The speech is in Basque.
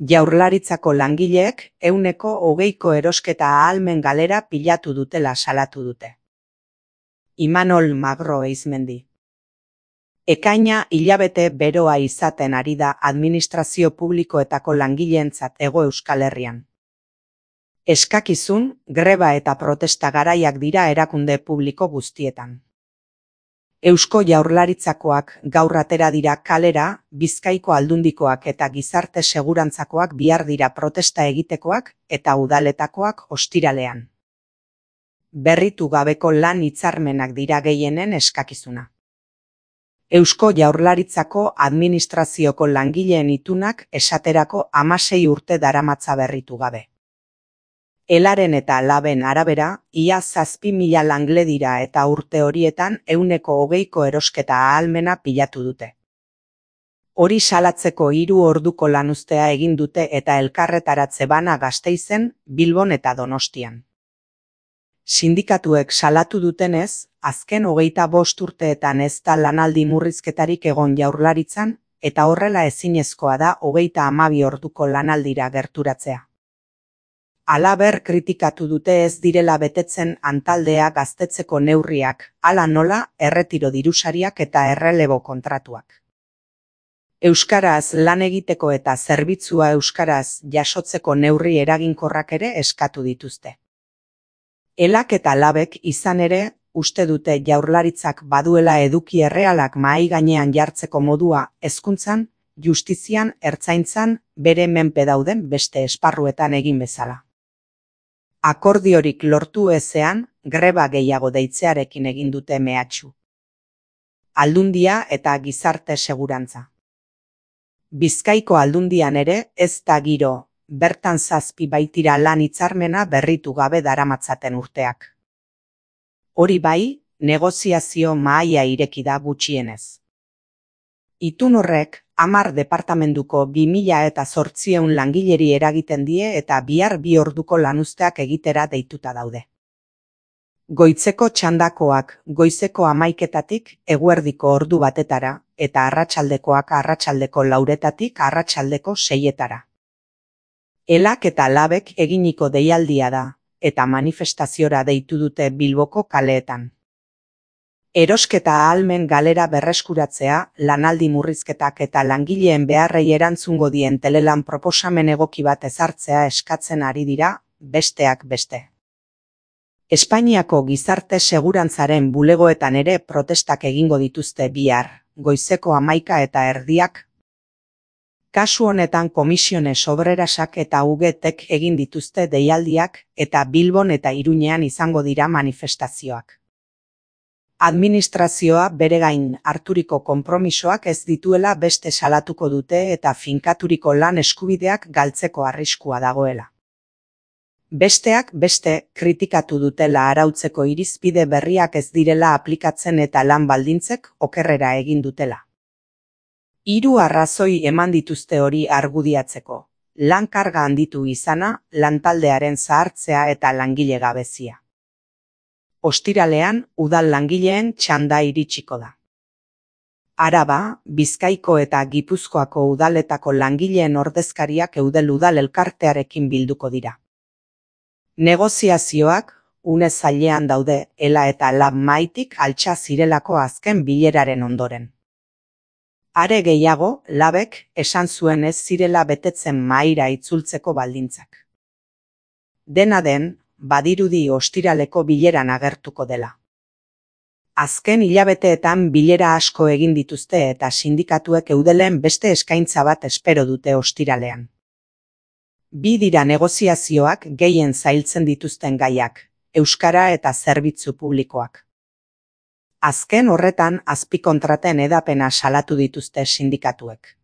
Jaurlaritzako langileek 120ko erosketa ahalmen galera pilatu dutela salatu dute. Imanol Magro Eizmendi. Ekaina hilabete beroa izaten ari da administrazio publikoetako langileentzat Hego Euskal Herrian. Eskakizun, greba eta protesta garaiak dira erakunde publiko guztietan. Eusko Jaurlaritzakoak gaur atera dira kalera, Bizkaiko Aldundikoak eta Gizarte Segurantzakoak bihar dira protesta egitekoak eta udaletakoak ostiralean. Berritu gabeko lan hitzarmenak dira gehienen eskakizuna. Eusko Jaurlaritzako administrazioko langileen itunak esaterako 16 urte daramatza berritu gabe. Elaren eta Laben arabera, ia 7.000 langle dira eta urte horietan 120ko erosketa ahalmena pilatu dute. Hori salatzeko 3 orduko lanuztea egin dute eta elkarretaratze bana Gasteizen, Bilbon eta Donostian. Sindikatuek salatu dutenez, azken 25 urteetan ez da lanaldi murrizketarik egon Jaurlaritzan, eta horrela ezinezkoa da 32 orduko lanaldira gerturatzea. Halaber kritikatu dute ez direla betetzen antaldea gaztetzeko neurriak, hala nola erretiro dirusariak eta errelebo kontratuak. Euskaraz lan egiteko eta zerbitzua euskaraz jasotzeko neurri eraginkorrak ere eskatu dituzte. Elak eta Labek izan ere, uste dute Jaurlaritzak baduela eduki errealak mahai gainean jartzeko modua hezkuntzan, justizian, ertzaintzan, bere menpe dauden beste esparruetan egin bezala. Akordiorik lortu ezean, greba gehiago deitzearekin egin dute mehatxu. Aldundia eta Gizarte Segurantza. Bizkaiko Aldundian ere ez da giro, bertan 7 baitira lan hitzarmena berritu gabe daramatzaten urteak. Hori bai, negoziazio mahaia ireki da gutxienez. Itun horrek 10 departamentuko 2.800 langileri eragiten die eta bihar 2 orduko lanuzteak egitera deituta daude. Goitzeko txandakoak goizeko 11etatik eguerdiko ordu batetara eta arratsaldekoak arratsaldeko 4etatik arratsaldeko 6etara. Elak eta Labek eginiko deialdia da, eta manifestaziora deitu dute Bilboko kaleetan. Erosketa ahalmen galera berreskuratzea, lanaldi murrizketak eta langileen beharrei erantzungo dien telelan proposamen egoki bat ezartzea eskatzen ari dira, besteak beste. Espainiako Gizarte Segurantzaren bulegoetan ere protestak egingo dituzte bihar, goizeko 11:30. Kasu honetan Komisiones Obrerasak eta UGTek egin dituzte deialdiak eta Bilbon eta Iruñean izango dira manifestazioak. Administrazioa bere gain harturiko konpromisoak ez dituela beste salatuko dute eta finkaturiko lan eskubideak galtzeko arriskua dagoela. Besteak beste kritikatu dutela arautzeko irizpide berriak ez direla aplikatzen eta lan baldintzek okerrera egin dutela. 3 arrazoi eman dituzte hori argudiatzeko: lan karga handitu izana, lantaldearen zahartzea eta langile gabezia. Ostiralean, udal langileen txanda iritsiko da. Araba, Bizkaiko eta Gipuzkoako udaletako langileen ordezkariak Eudel Udal elkartearekin bilduko dira. Negoziazioak une zailean daude Ela eta Lab mahaitik altxa zirelako azken bileraren ondoren. Are gehiago, Labek esan zuen ez zirela betetzen mahaira itzultzeko baldintzak. Dena den, badirudi ostiraleko bileran agertuko dela. Azken hilabeteetan bilera asko egin dituzte eta sindikatuek Eudelen beste eskaintza bat espero dute ostiralean. 2 dira negoziazioak gehien zailtzen dituzten gaiak, euskara eta zerbitzu publikoak. Azken horretan azpikontraten hedapena salatu dituzte sindikatuek.